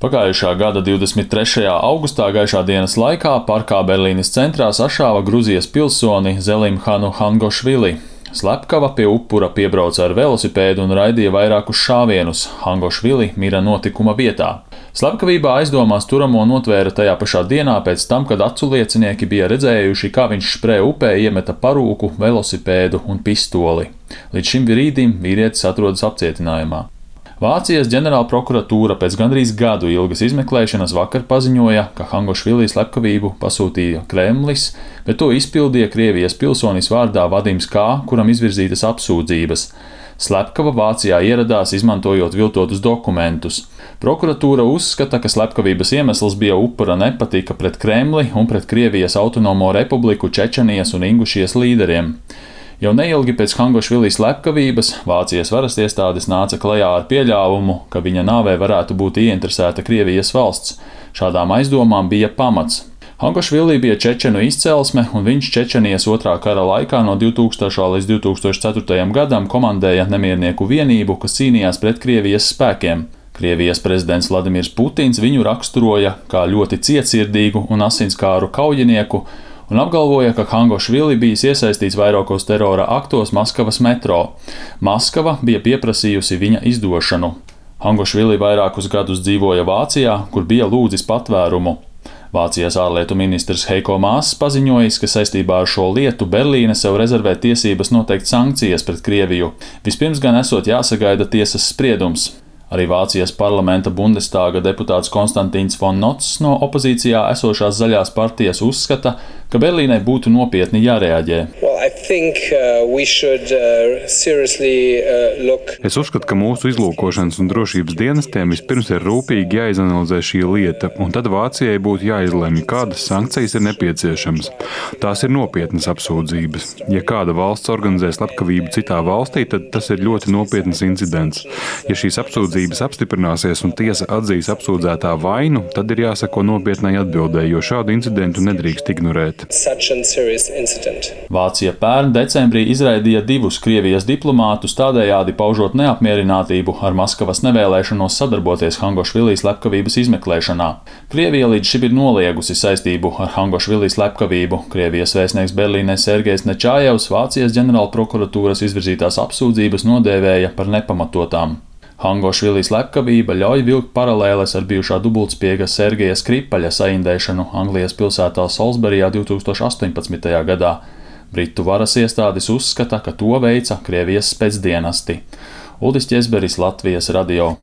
Pagājušā gada 23. augustā gaišā dienas laikā parkā Berlīnes centrā sašāva Gruzijas pilsoni Zelimhanu Hangošvili. Slepkava pie upura piebrauca ar velosipēdu un raidīja vairākus šāvienus. Hangošvili mira notikuma vietā. Slepkavībā aizdomās turamo notvēra tajā pašā dienā pēc tam, kad aculiecinieki bija redzējuši, kā viņš Sprē upē iemeta parūku, velosipēdu un pistoli. Līdz šim brīdim vīrietis atrodas apcietinājumā. Vācijas ģenerālprokuratūra pēc gandrīz gadu ilgas izmeklēšanas vakar paziņoja, ka Hangošvili slepkavību pasūtīja Kremlis, bet to izpildīja Krievijas pilsonis vārdā Vadims K., kuram izvirzītas apsūdzības. Slepkava Vācijā ieradās, izmantojot viltotus dokumentus. Prokuratūra uzskata, ka slepkavības iemesls bija upura nepatika pret Kremli un pret Krievijas autonomo republiku Čečenijas un Ingušijas līderiem. Jau neilgi pēc Hangošvili slepkavības Vācijas varas iestādes nāca klajā ar pieļāvumu, ka viņa nāvē varētu būt ieinteresēta Krievijas valsts. Šādām aizdomām bija pamats. Hangošvili bija čečenu izcelsme, un viņš Čečenijas otrā kara laikā no 2000. līdz 2004. gadam komandēja nemiernieku vienību, kas cīnījās pret Krievijas spēkiem. Krievijas prezidents Vladimirs Putins viņu raksturoja kā ļoti cietsirdīgu un asinskāru kaujinieku, un apgalvoja, ka Hangošvili bijis iesaistīts vairākos terora aktos Maskavas metro. Maskava bija pieprasījusi viņa izdošanu. Hangošvili vairākus gadus dzīvoja Vācijā, kur bija lūdzis patvērumu. Vācijas ārlietu ministrs Heiko Mass paziņojis, ka saistībā ar šo lietu Berlīne sev rezervē tiesības noteikt sankcijas pret Krieviju. Vispirms gan esot jāsagaida tiesas spriedums. Arī Vācijas parlamenta Bundestāga deputāts Konstantīns von Notz no opozīcijā esošās zaļās partijas uzskata, ka Berlīnai būtu nopietni jārēģē. Es uzskatu, ka mūsu izlūkošanas un drošības dienestiem vispirms ir rūpīgi jāizanalizē šī lieta, un tad Vācijai būtu jāizlemj, kādas sankcijas ir nepieciešamas. Tās ir nopietnas apsūdzības. Ja kāda valsts organizē slepkavību citā valstī, tad tas ir ļoti nopietns incidents. Ja šīs apsūdzības apstiprināsies un tiesa atzīs apsūdzētā vainu, tad ir jāsako nopietnai atbildē, jo šādu incidentu nedrīkst ignorēt. Vācija pērn decembrī izraidīja 2 Krievijas diplomātus, tādējādi paužot neapmierinātību ar Maskavas nevēlēšanos sadarboties Hangošvili slepkavības izmeklēšanā. Krievija līdz šim ir noliegusi saistību ar Hangošvili slepkavību. Krievijas vēstnieks Berlīnē Sergejs Nečājevs Vācijas ģenerālprokuratūras izvirzītās apsūdzības nodēvēja par nepamatotām. Hangošvili slepkavība ļauj vilkt paralēles ar bijušā dubultspiega Sergeja Skripaļa saindēšanu Anglijas pilsētā Salisburijā 2018. gadā. Britu varas iestādes uzskata, ka to veica Krievijas specdienesti. Uldis Ķezberis, Latvijas radio.